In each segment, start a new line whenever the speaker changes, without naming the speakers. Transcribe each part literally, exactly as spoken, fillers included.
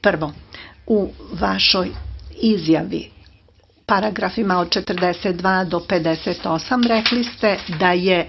Prvo, u vašoj izjavi, paragrafima od četrdeset dva do pedeset osam, rekli ste da je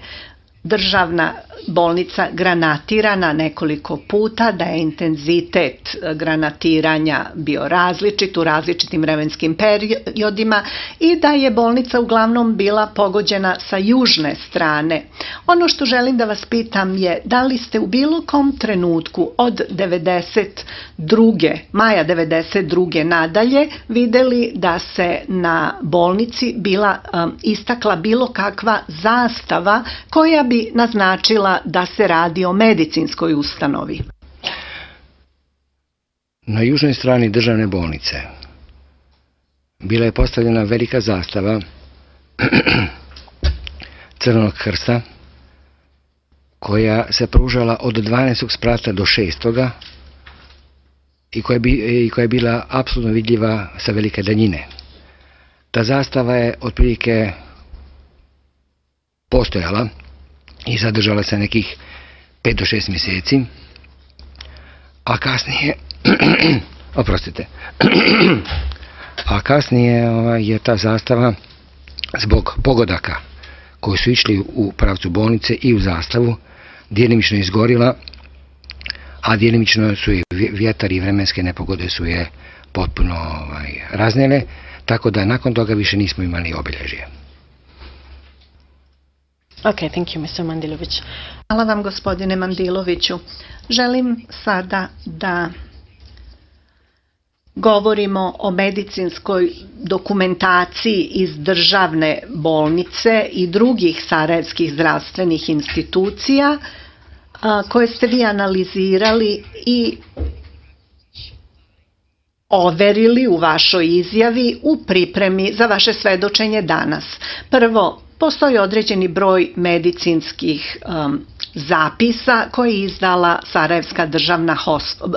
državna bolnica granatirana nekoliko puta, da je intenzitet granatiranja bio različit u različitim vremenskim periodima i da je bolnica uglavnom bila pogođena sa južne strane. Ono što želim da vas pitam je da li ste u bilo kom trenutku od devedeset druge maja devedeset druge nadalje videli da se na bolnici bila um, istakla bilo kakva zastava koja bi naznačila da se radi o medicinskoj ustanovi?
Na južnoj strani državne bolnice bila je postavljena velika zastava Crvenog krsta koja se pružala od dvanaestog sprata do šestoga i koja, bi, i koja je bila apsolutno vidljiva sa velike daljine. Ta zastava je otprilike postojala i zadržala se nekih pet do šest mjeseci, a kasnije oprostite a kasnije je ta zastava zbog pogodaka koji su išli u pravcu bolnice i u zastavu djelimično izgorila, a djelimično su i vjetar i vremenske nepogode su je potpuno ovaj, raznijele, tako da nakon toga više nismo imali obilježje.
Okay, thank you, mister Mandilović.
Hvala vam, gospodine Mandiloviću. Želim sada da govorimo o medicinskoj dokumentaciji iz državne bolnice i drugih sarajevskih zdravstvenih institucija koje ste vi analizirali i overili u vašoj izjavi u pripremi za vaše svedočenje danas. Prvo, postoji određeni broj medicinskih um, zapisa koje je izdala Sarajevska državna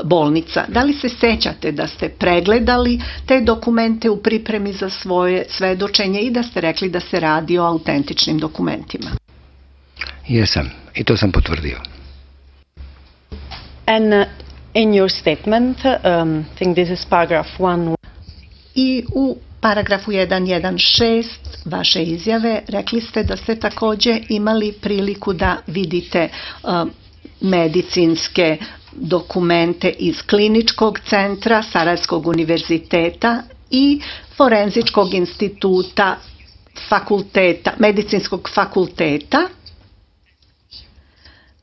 bolnica. Da li se sećate da ste pregledali te dokumente u pripremi za svoje svedočenje i da ste rekli da se radi o autentičnim dokumentima?
Jesam, i to sam potvrdio.
And uh, in your statement, um, I think this is paragraph one.
I u paragrafu sto šest vaše izjave rekli ste da ste također imali priliku da vidite uh, medicinske dokumente iz kliničkog centra Sarajevskog univerziteta i Forenzičkog instituta fakulteta, medicinskog fakulteta,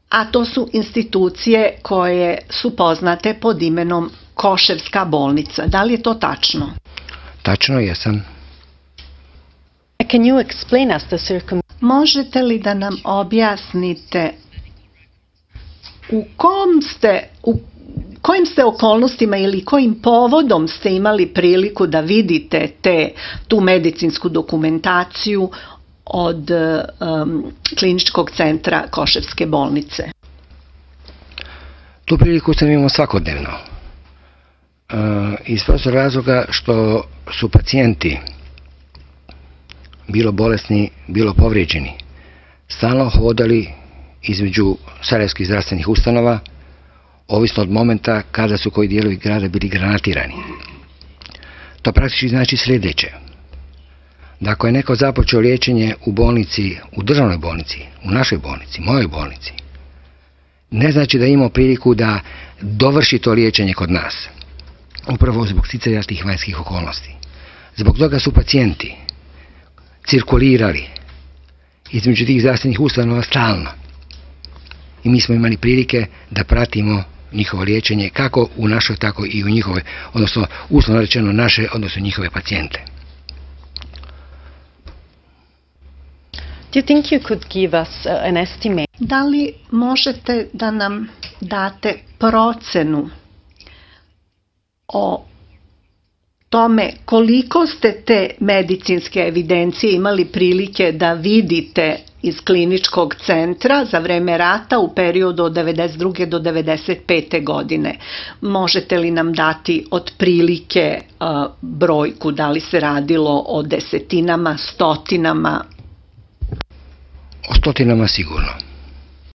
a to su institucije koje su poznate pod imenom Koševska bolnica. Da li je to tačno?
Tačno, jesam.
Can you explain us the circum...
Možete li da nam objasnite u kom ste, u kojim ste okolnostima ili kojim povodom ste imali priliku da vidite te, tu medicinsku dokumentaciju od um, kliničkog centra Koševske bolnice?
Tu priliku sam imao svakodnevno. Uh, iz prostog razloga što su pacijenti bilo bolesni, bilo povrijeđeni, stalno hodali između sarajevskih zdravstvenih ustanova, ovisno od momenta kada su koji dijelovi grada bili granatirani. To praktički znači sljedeće. Da ako je neko započeo liječenje u bolnici, u državnoj bolnici, u našoj bolnici, mojoj bolnici, ne znači da ima priliku da dovrši to liječenje kod nas. Upravo zbog sticanja tih vanjskih okolnosti. Zbog toga su pacijenti cirkulirali između tih zdravstvenih ustanova stalno. I mi smo imali prilike da pratimo njihovo liječenje kako u našoj, tako i u njihove, odnosno uslovno rečeno naše, odnosno njihove pacijente.
Do you think you could give us uh, an estimate?
Da li možete da nam date procenu o tome koliko ste te medicinske evidencije imali prilike da vidite iz kliničkog centra za vreme rata u periodu od devedeset druge do devedeset pete godine? Možete li nam dati otprilike uh, brojku, da li se radilo o desetinama, stotinama?
O stotinama sigurno.